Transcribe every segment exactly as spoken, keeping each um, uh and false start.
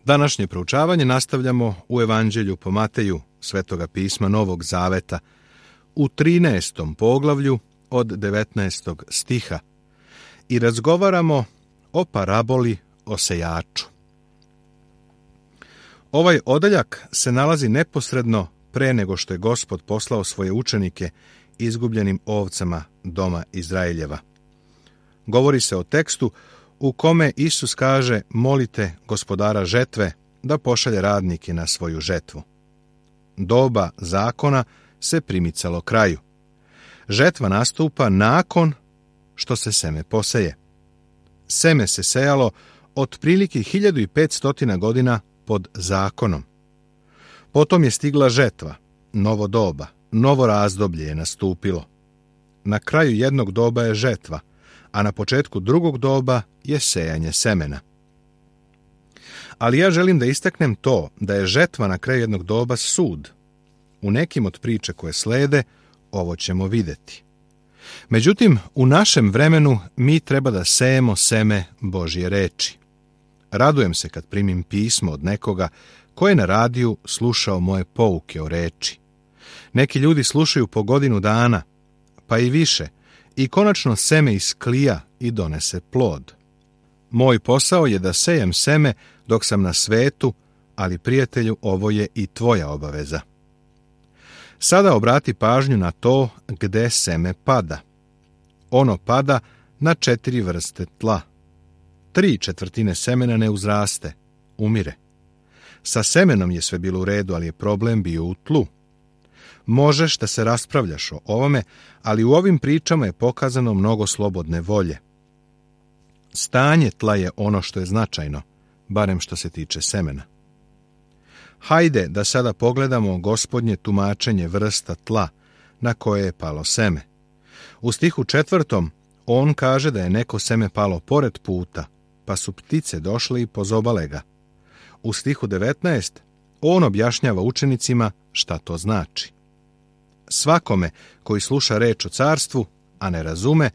Današnje proučavanje nastavljamo u Evanđelju po Mateju, Svetoga pisma Novog Zaveta, u trinaestom poglavlju od devetnaestog stiha i razgovaramo o paraboli o sejaču. Ovaj odeljak se nalazi neposredno pre nego što je Gospod poslao svoje učenike izgubljenim ovcama doma Izraeljeva. Govori se o tekstu u kome Isus kaže: molite Gospodara žetve da pošalje radnike na svoju žetvu. Doba zakona se primicalo kraju. Žetva nastupa nakon što se seme poseje. Seme se sejalo otprilike hiljadu petsto godina pod zakonom. Potom je stigla žetva, novo doba, novo razdoblje je nastupilo. Na kraju jednog doba je žetva, a na početku drugog doba je sejanje semena. Ali ja želim da istaknem to da je žetva na kraju jednog doba sud. U nekim od priče koje slede ovo ćemo vidjeti. Međutim, u našem vremenu mi treba da sejemo seme Božje reči. Radujem se kad primim pismo od nekoga ko je na radiju slušao moje pouke o reči. Neki ljudi slušaju po godinu dana, pa i više, i konačno seme isklija i donese plod. Moj posao je da sejem seme dok sam na svetu, ali prijatelju, ovo je i tvoja obaveza. Sada obrati pažnju na to gde seme pada. Ono pada na četiri vrste tla. Tri četvrtine semena ne uzraste, umire. Sa semenom je sve bilo u redu, ali je problem bio u tlu. Možeš da se raspravljaš o ovome, ali u ovim pričama je pokazano mnogo slobodne volje. Stanje tla je ono što je značajno, barem što se tiče semena. Hajde da sada pogledamo Gospodnje tumačenje vrsta tla na koje je palo seme. U stihu četvrtom on kaže da je neko seme palo pored puta, pa su ptice došle i pozobale ga. U stihu devetnaest on objašnjava učenicima šta to znači. Svakome koji sluša reč o carstvu, a ne razume,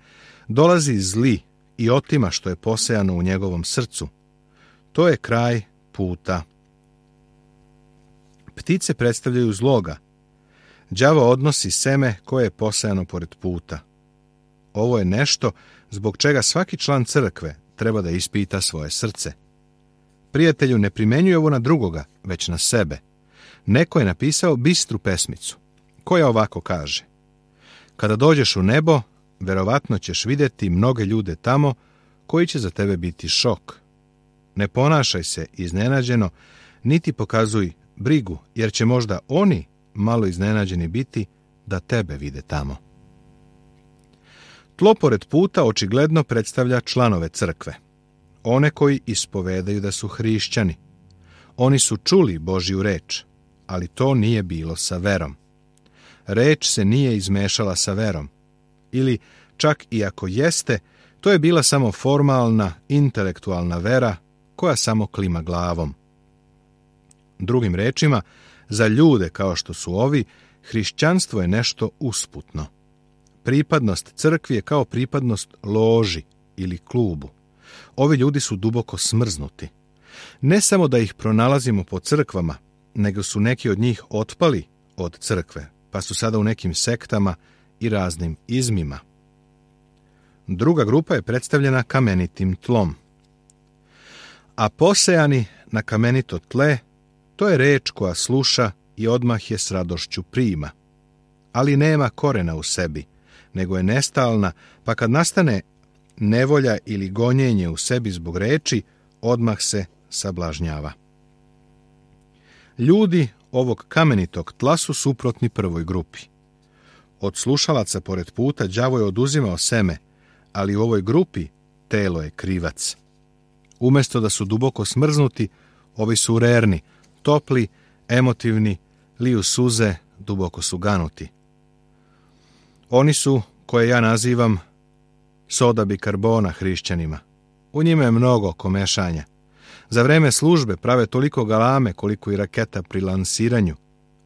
dolazi zli i otima što je posejano u njegovom srcu. To je kraj puta. Ptice predstavljaju zloga. Đavo odnosi seme koje je posejano pored puta. Ovo je nešto zbog čega svaki član crkve treba da ispita svoje srce. Prijatelju, ne primenjuj ovo na drugoga, već na sebe. Neko je napisao bistru pesmicu, koja ovako kaže: kada dođeš u nebo, verovatno ćeš vidjeti mnoge ljude tamo koji će za tebe biti šok. Ne ponašaj se iznenađeno, niti pokazuj brigu, jer će možda oni malo iznenađeni biti da tebe vide tamo. Tlo pored puta očigledno predstavlja članove crkve, one koji ispovedaju da su hrišćani. Oni su čuli Božju reč, ali to nije bilo sa verom. Reč se nije izmešala sa verom, ili čak i ako jeste, to je bila samo formalna, intelektualna vera koja samo klima glavom. Drugim rečima, za ljude kao što su ovi, hrišćanstvo je nešto usputno. Pripadnost crkvi je kao pripadnost loži ili klubu. Ovi ljudi su duboko smrznuti. Ne samo da ih pronalazimo po crkvama, nego su neki od njih otpali od crkve, pa su sada u nekim sektama i raznim izmima. Druga grupa je predstavljena kamenitim tlom. A posejani na kamenito tle, to je reč koja sluša i odmah je s radošću prima. Ali nema korena u sebi, nego je nestalna, pa kad nastane nevolja ili gonjenje u sebi zbog reči, odmah se sablažnjava. Ljudi ovog kamenitog tla su suprotni prvoj grupi. Od slušalaca pored puta đavo je oduzimao seme, ali u ovoj grupi telo je krivac. Umjesto da su duboko smrznuti, ovi su rerni, topli, emotivni, liju suze, duboko su ganuti. Oni su, koje ja nazivam soda bikarbona hrišćanima. U njima je mnogo komešanja. Za vreme službe prave toliko galame koliko i raketa pri lansiranju,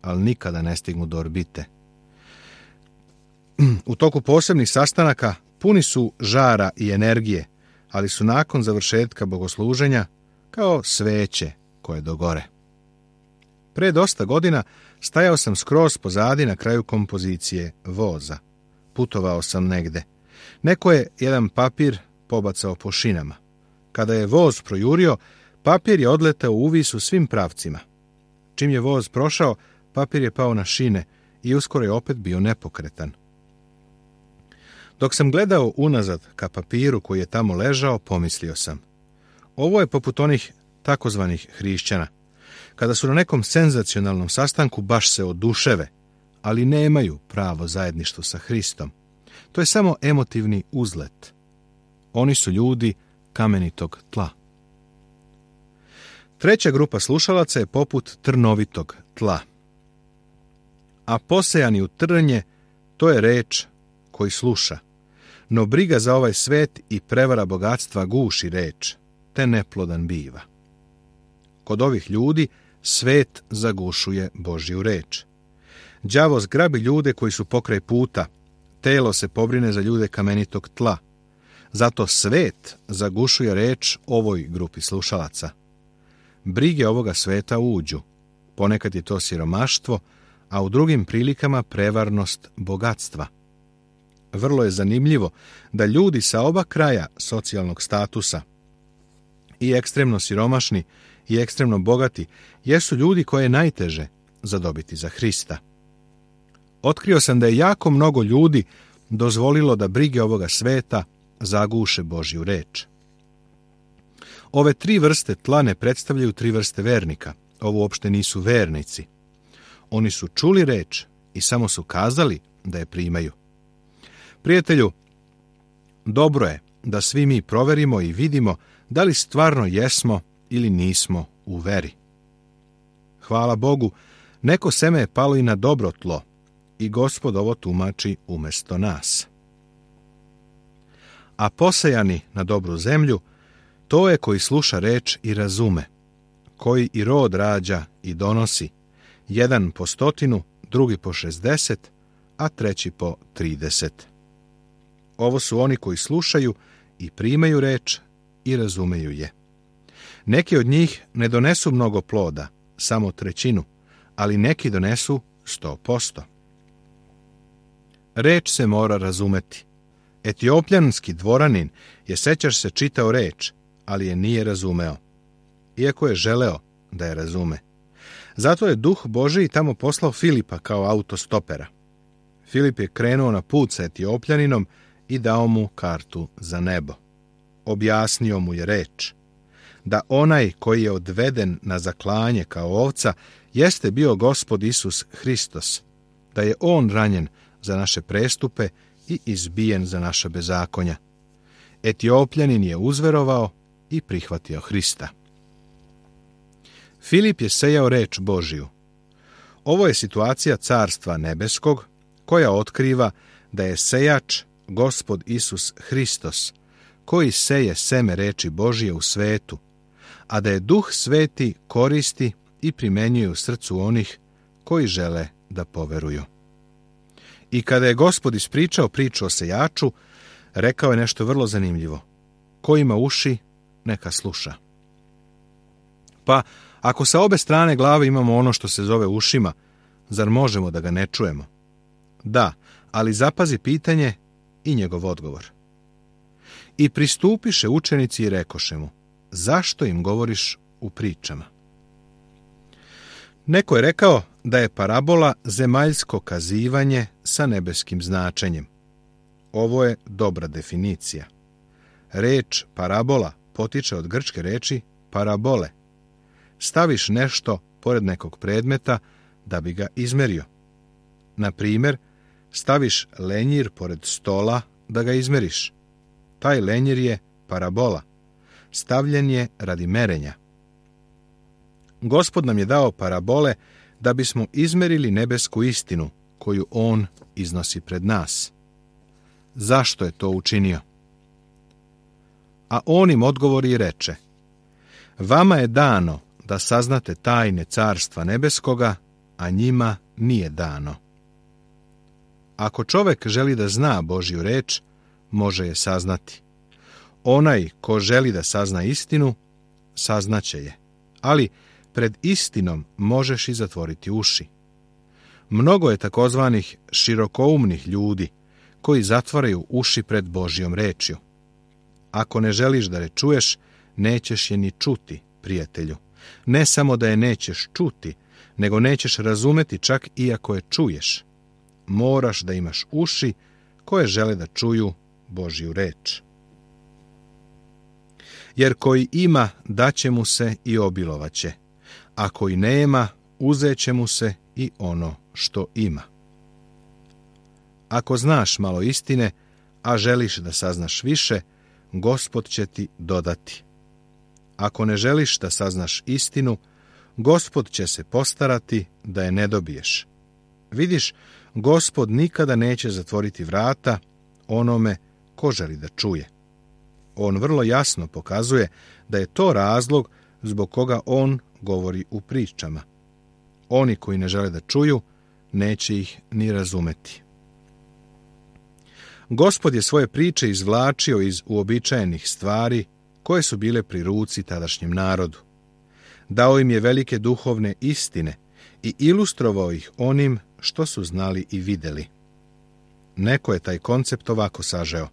ali nikada ne stignu do orbite. U toku posebnih sastanaka puni su žara i energije, ali su nakon završetka bogosluženja kao sveće koje dogore. Pre dosta godina stajao sam skroz pozadi na kraju kompozicije voza. Putovao sam negde. Neko je jedan papir pobacao po šinama. Kada je voz projurio, papir je odletao u vis u svim pravcima. Čim je voz prošao, papir je pao na šine i uskoro je opet bio nepokretan. Dok sam gledao unazad ka papiru koji je tamo ležao, pomislio sam: ovo je poput onih takozvanih hrišćana, kada su na nekom senzacionalnom sastanku baš se oduševe, ali nemaju pravo zajedništvo sa Hristom. To je samo emotivni uzlet. Oni su ljudi kamenitog tla. Treća grupa slušalaca je poput trnovitog tla. A posejani u trnje, to je reč koji sluša. No briga za ovaj svet i prevara bogatstva guši reč, te neplodan biva. Kod ovih ljudi svet zagušuje Božju reč. Đavo zgrabi ljude koji su pokraj puta, telo se pobrine za ljude kamenitog tla. Zato svet zagušuje reč ovoj grupi slušalaca. Brige ovoga sveta uđu. Ponekad je to siromaštvo, a u drugim prilikama prevarnost bogatstva. Vrlo je zanimljivo da ljudi sa oba kraja socijalnog statusa, i ekstremno siromašni i ekstremno bogati, jesu ljudi koje je najteže zadobiti za Hrista. Otkrio sam da je jako mnogo ljudi dozvolilo da brige ovoga sveta zaguše Božju reč. Ove tri vrste tla ne predstavljaju tri vrste vernika. Ovo uopšte nisu vernici. Oni su čuli reč i samo su kazali da je primaju. Prijatelju, dobro je da svi mi proverimo i vidimo da li stvarno jesmo ili nismo u veri. Hvala Bogu, neko seme je palo i na dobro tlo i Gospod ovo tumači umesto nas. A posejani na dobru zemlju, to je koji sluša reč i razume, koji i rod rađa i donosi, jedan po stotinu, drugi po šezdeset, a treći po trideset. Ovo su oni koji slušaju i primaju reč i razumeju je. Neki od njih ne donesu mnogo ploda, samo trećinu, ali neki donesu sto posto. Reč se mora razumeti. Etiopljanski dvoranin je, sećaš se, čitao reč, ali je nije razumeo, iako je želeo da je razume. Zato je Duh Božiji tamo poslao Filipa kao autostopera. Filip je krenuo na put sa Etiopljaninom i dao mu kartu za nebo. Objasnio mu je reč, da onaj koji je odveden na zaklanje kao ovca jeste bio Gospod Isus Hristos, da je on ranjen za naše prestupe i izbijen za naša bezakonja. Etiopljanin je uzverovao i prihvatio Hrista. Filip je sejao reč Božiju. Ovo je situacija carstva nebeskog koja otkriva da je sejač Gospod Isus Hristos, koji seje seme reči Božije u svetu, a da je Duh Sveti koristi i primenjuje u srcu onih koji žele da poveruju. I kada je Gospod ispričao priču o sejaču, rekao je nešto vrlo zanimljivo. Ko ima uši, neka sluša. Pa, ako sa obe strane glave imamo ono što se zove ušima, zar možemo da ga ne čujemo? Da, ali zapazi pitanje i njegov odgovor. I pristupiše učenici i rekoše mu: zašto im govoriš u pričama? Neko je rekao da je parabola zemaljsko kazivanje sa nebeskim značenjem. Ovo je dobra definicija. Reč parabola potiče od grčke reči parabole. Staviš nešto pored nekog predmeta da bi ga izmerio. Na primjer, staviš lenjir pored stola da ga izmeriš. Taj lenjir je parabola. Stavljen je radi merenja. Gospod nam je dao parabole da bismo izmerili nebesku istinu koju on iznosi pred nas. Zašto je to učinio? A on im odgovori i reče: vama je dano da saznate tajne carstva nebeskoga, a njima nije dano. Ako čovek želi da zna Božju reč, može je saznati. Onaj ko želi da sazna istinu, saznaće je. Ali pred istinom možeš i zatvoriti uši. Mnogo je takozvanih širokoumnih ljudi koji zatvaraju uši pred Božjom rečju. Ako ne želiš da je čuješ, nećeš je ni čuti, prijatelju. Ne samo da je nećeš čuti, nego nećeš razumeti čak i ako je čuješ. Moraš da imaš uši koje žele da čuju Božju reč. Jer koji ima, daće mu se i obilovaće, a koji nema, uzeće mu se i ono što ima. Ako znaš malo istine, a želiš da saznaš više, Gospod će ti dodati. Ako ne želiš da saznaš istinu, Gospod će se postarati da je ne dobiješ. Vidiš, Gospod nikada neće zatvoriti vrata onome ko želi da čuje. On vrlo jasno pokazuje da je to razlog zbog koga on govori u pričama. Oni koji ne žele da čuju, neće ih ni razumeti. Gospod je svoje priče izvlačio iz uobičajenih stvari koje su bile pri ruci tadašnjem narodu. Dao im je velike duhovne istine i ilustrovao ih onim što su znali i videli. Neko je taj koncept ovako sažeo.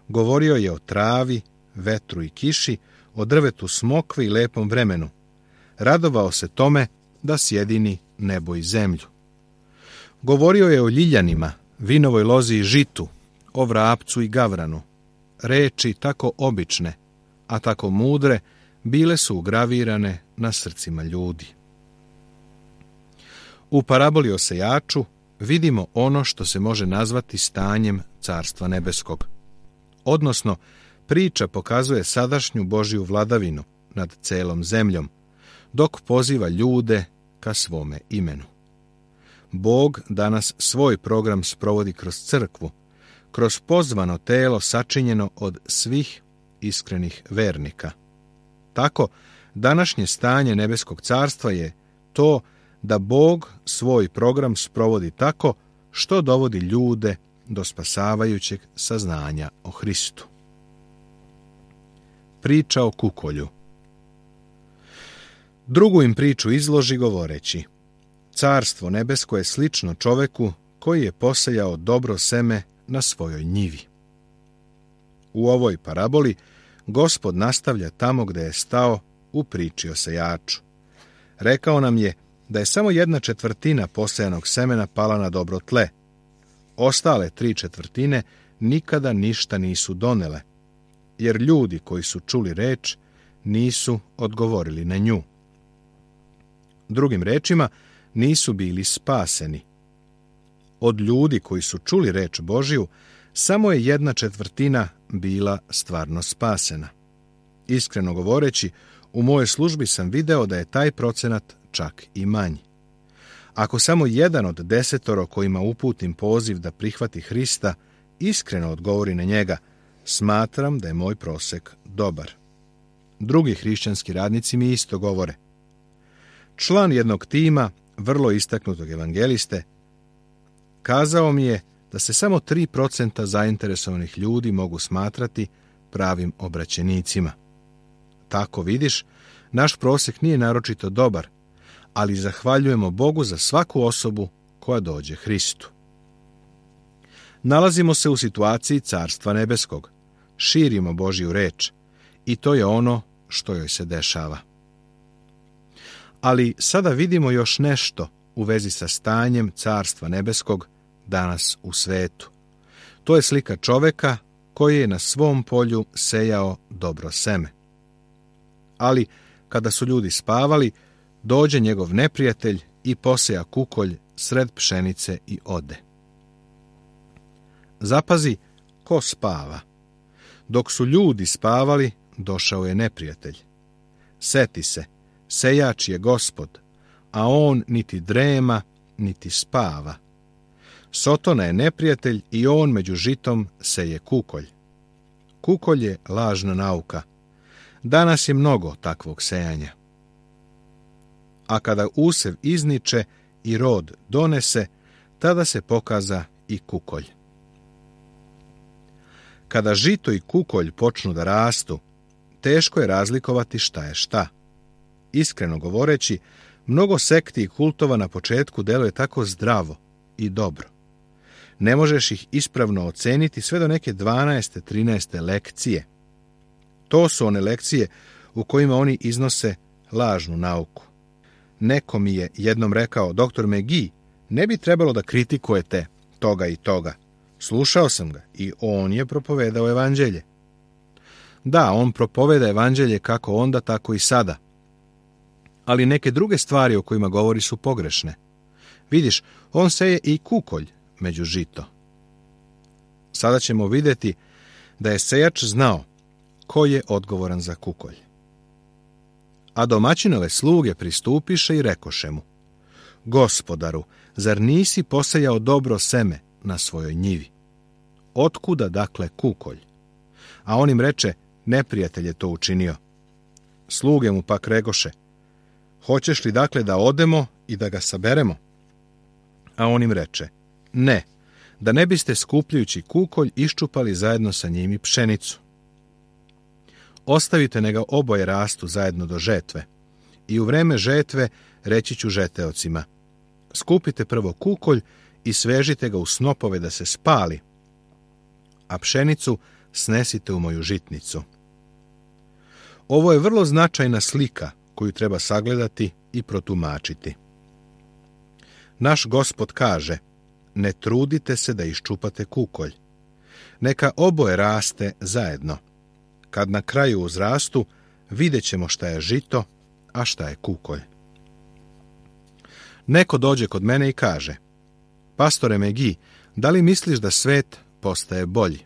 Govorio je o travi, vetru i kiši, o drvetu smokve i lepom vremenu. Radovao se tome da sjedini nebo i zemlju. Govorio je o ljiljanima, vinovoj lozi i žitu, o vrapcu i gavranu. Reči tako obične, a tako mudre, bile su ugravirane na srcima ljudi. U paraboli o sejaču vidimo ono što se može nazvati stanjem Carstva nebeskog. Odnosno, priča pokazuje sadašnju Božju vladavinu nad celom zemljom, dok poziva ljude ka svome imenu. Bog danas svoj program sprovodi kroz crkvu, kroz pozvano telo sačinjeno od svih iskrenih vernika. Tako, današnje stanje nebeskog carstva je to da Bog svoj program sprovodi tako što dovodi ljude do spasavajućeg saznanja o Hristu. Priča o kukolju. Drugu im priču izloži govoreći: Carstvo nebesko je slično čoveku koji je posejao dobro seme na svojoj njivi. U ovoj paraboli Gospod nastavlja tamo gde je stao u priči o sejaču. Rekao nam je da je samo jedna četvrtina posejanog semena pala na dobro tle. Ostale tri četvrtine nikada ništa nisu donele, jer ljudi koji su čuli reč nisu odgovorili na nju. Drugim rečima, nisu bili spaseni. Od ljudi koji su čuli reč Božiju, samo je jedna četvrtina bila stvarno spasena. Iskreno govoreći, u mojoj službi sam video da je taj procenat čak i manji. Ako samo jedan od desetoro kojima uputim poziv da prihvati Hrista iskreno odgovori na njega, smatram da je moj prosek dobar. Drugi hrišćanski radnici mi isto govore. Član jednog tima, vrlo istaknutog evangeliste, kazao mi je da se samo tri procenta zainteresovanih ljudi mogu smatrati pravim obraćenicima. Tako vidiš, naš prosek nije naročito dobar, ali zahvaljujemo Bogu za svaku osobu koja dođe Hristu. Nalazimo se u situaciji Carstva nebeskog. Širimo Božju reč i to je ono što joj se dešava. Ali sada vidimo još nešto u vezi sa stanjem Carstva nebeskog danas u svetu. To je slika čoveka koji je na svom polju sejao dobro seme. Ali kada su ljudi spavali, dođe njegov neprijatelj i poseja kukolj sred pšenice i ode. Zapazi, ko spava? Dok su ljudi spavali, došao je neprijatelj. Seti se, sejač je Gospod, a on niti drema, niti spava. Sotona je neprijatelj i on među žitom seje kukolj. Kukolj je lažna nauka. Danas je mnogo takvog sejanja. A kada usev izniče i rod donese, tada se pokaza i kukolj. Kada žito i kukolj počnu da rastu, teško je razlikovati šta je šta. Iskreno govoreći, mnogo sekti i kultova na početku deluje tako zdravo i dobro. Ne možeš ih ispravno oceniti sve do neke dvanaeste, trinaeste lekcije. To su one lekcije u kojima oni iznose lažnu nauku. Neko mi je jednom rekao: doktor McGee, ne bi trebalo da kritikujete toga i toga. Slušao sam ga i on je propovedao evanđelje. Da, on propoveda evanđelje kako onda, tako i sada. Ali neke druge stvari o kojima govori su pogrešne. Vidiš, on seje i kukolj među žito. Sada ćemo vidjeti da je sejač znao ko je odgovoran za kukolj. A domaćinove sluge pristupiše i rekoše mu: Gospodaru, zar nisi posejao dobro seme na svojoj njivi? Otkuda dakle kukolj? A on im reče: neprijatelj je to učinio. Sluge mu pak rekoše: hoćeš li dakle da odemo i da ga saberemo? A on im reče: ne, da ne biste skupljajući kukolj iščupali zajedno sa njim i pšenicu. Ostavite nega oboje rastu zajedno do žetve. I u vreme žetve reći ću žeteocima: skupite prvo kukolj i svežite ga u snopove da se spali, a pšenicu snesite u moju žitnicu. Ovo je vrlo značajna slika koju treba sagledati i protumačiti. Naš Gospod kaže: ne trudite se da iščupate kukolj. Neka oboje raste zajedno. Kad na kraju uzrastu, vidjet ćemo šta je žito, a šta je kukolj. Neko dođe kod mene i kaže: pastore McGee, da li misliš da svet postaje bolji?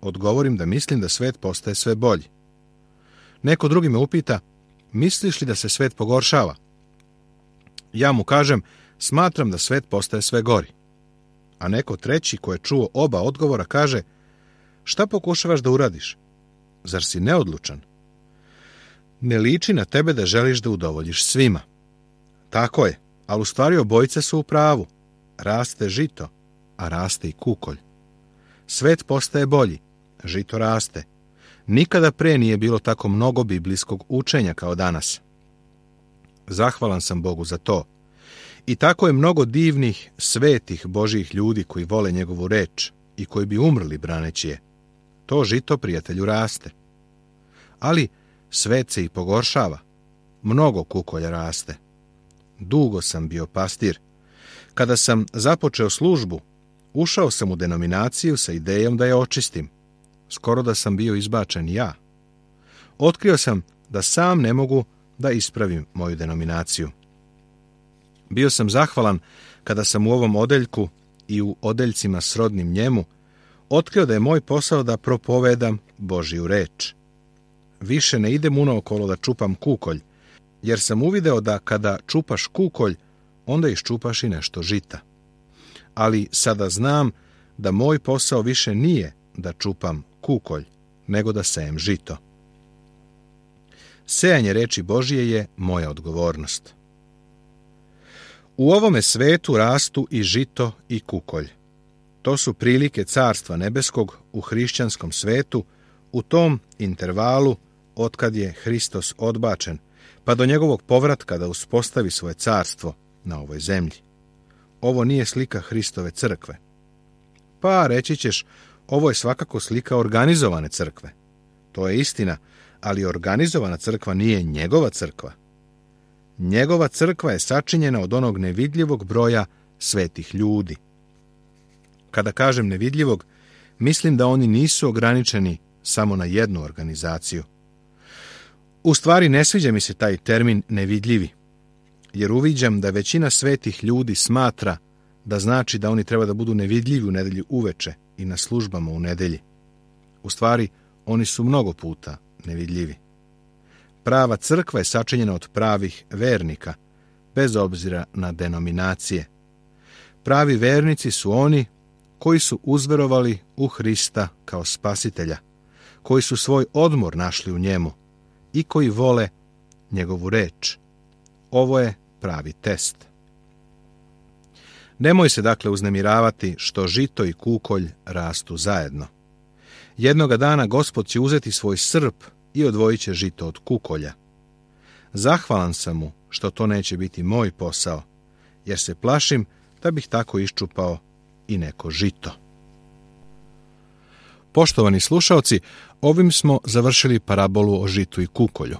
Odgovorim da mislim da svet postaje sve bolji. Neko drugi me upita: misliš li da se svet pogoršava? Ja mu kažem: smatram da svet postaje sve gori. A neko treći ko je čuo oba odgovora kaže: šta pokušavaš da uradiš? Zar si neodlučan? Ne liči na tebe da želiš da udovoljiš svima. Tako je, ali u stvari obojice su u pravu. Raste žito, a raste i kukolj. Svet postaje bolji, žito raste. Nikada pre nije bilo tako mnogo biblijskog učenja kao danas. Zahvalan sam Bogu za to. I tako je mnogo divnih, svetih Božjih ljudi koji vole njegovu reč i koji bi umrli braneći je. To žito, prijatelju, raste. Ali svet se i pogoršava. Mnogo kukolja raste. Dugo sam bio pastir. Kada sam započeo službu, ušao sam u denominaciju sa idejom da je očistim. Skoro da sam bio izbačen ja. Otkrio sam da sam ne mogu da ispravim moju denominaciju. Bio sam zahvalan kada sam u ovom odeljku i u odeljcima srodnim njemu otkrio da je moj posao da propovedam Božju reč. Više ne idem unaokolo da čupam kukolj, jer sam uvideo da kada čupaš kukolj, onda iščupaš i nešto žita. Ali sada znam da moj posao više nije da čupam kukolj, nego da sejem žito. Sejanje reči Božje je moja odgovornost. U ovome svetu rastu i žito i kukolj. To su prilike Carstva nebeskog u hrišćanskom svetu, u tom intervalu otkad je Hristos odbačen, pa do njegovog povratka da uspostavi svoje carstvo na ovoj zemlji. Ovo nije slika Hristove crkve. Pa reći ćeš, ovo je svakako slika organizovane crkve. To je istina, ali organizovana crkva nije njegova crkva. Njegova crkva je sačinjena od onog nevidljivog broja svetih ljudi. Kada kažem nevidljivog, mislim da oni nisu ograničeni samo na jednu organizaciju. U stvari ne sviđa mi se taj termin nevidljivi, jer uviđam da većina svetih ljudi smatra da znači da oni treba da budu nevidljivi u nedelju uveče i na službama u nedelji. U stvari, oni su mnogo puta nevidljivi. Prava crkva je sačinjena od pravih vernika, bez obzira na denominacije. Pravi vernici su oni koji su uzverovali u Hrista kao spasitelja, koji su svoj odmor našli u njemu i koji vole njegovu reč. Ovo je pravi test. Nemoj se dakle uznemiravati što žito i kukolj rastu zajedno. Jednoga dana Gospod će uzeti svoj srp i odvojit će žito od kukolja. Zahvalan sam mu što to neće biti moj posao, jer se plašim da bih tako iščupao i neko žito. Poštovani slušaoci, ovim smo završili parabolu o žitu i kukolju.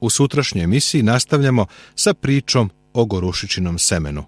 U sutrašnjoj emisiji nastavljamo sa pričom o gorušičinom semenu.